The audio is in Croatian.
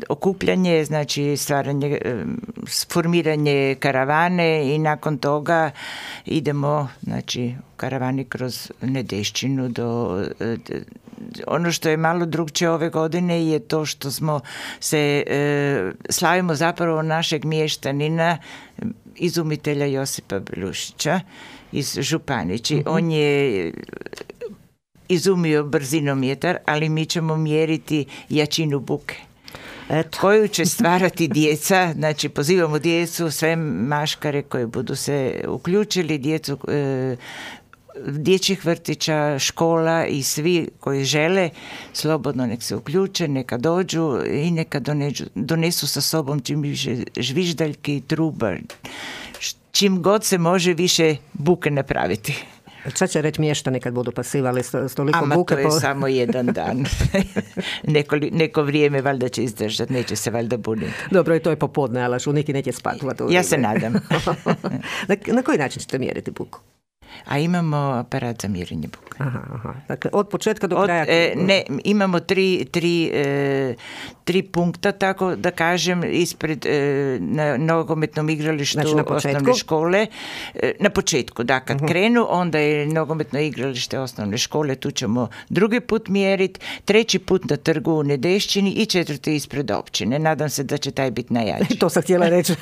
okupljanje, znači stvaranje, formiranje karavane i nakon toga idemo, znači, karavani kroz Nedešćinu do... Ono što je malo drugčije ove godine je to što smo se slavimo zapravo našeg mještanina, izumitelja Josipa Belušića iz Županići. On je izumio brzinometar, ali mi ćemo mjeriti jačinu buke. Eto. Koju će stvarati djeca, znači pozivamo djecu, sve maškare koji budu se uključili, djecu dječjih vrtića, škola i svi koji žele slobodno nek se uključe, neka dođu i neka donesu sa sobom čim više žviždaljke i truba, čim god se može više buke napraviti. Šta će reći mještani kad budu pasivali s toliko buke? To je samo jedan dan. Neko vrijeme valjda će izdržati, neće se valjda buniti. Dobro, i to je popodne, ali neki neće spati. Ja se nadam. Na koji način ćete mjeriti buku? A imamo aparat za mjerenje buke. Aha. Dakle, od početka do kraja? Imamo tri punkta, tako da kažem, ispred na nogometnom igralištu, znači, osnovne škole. Na početku, da, kad krenu, onda je nogometno igralište osnovne škole, tu ćemo drugi put mjeriti, treći put na trgu u Nedešćini i četvrti ispred općine. Nadam se da će taj biti najjači. To sam htjela reći.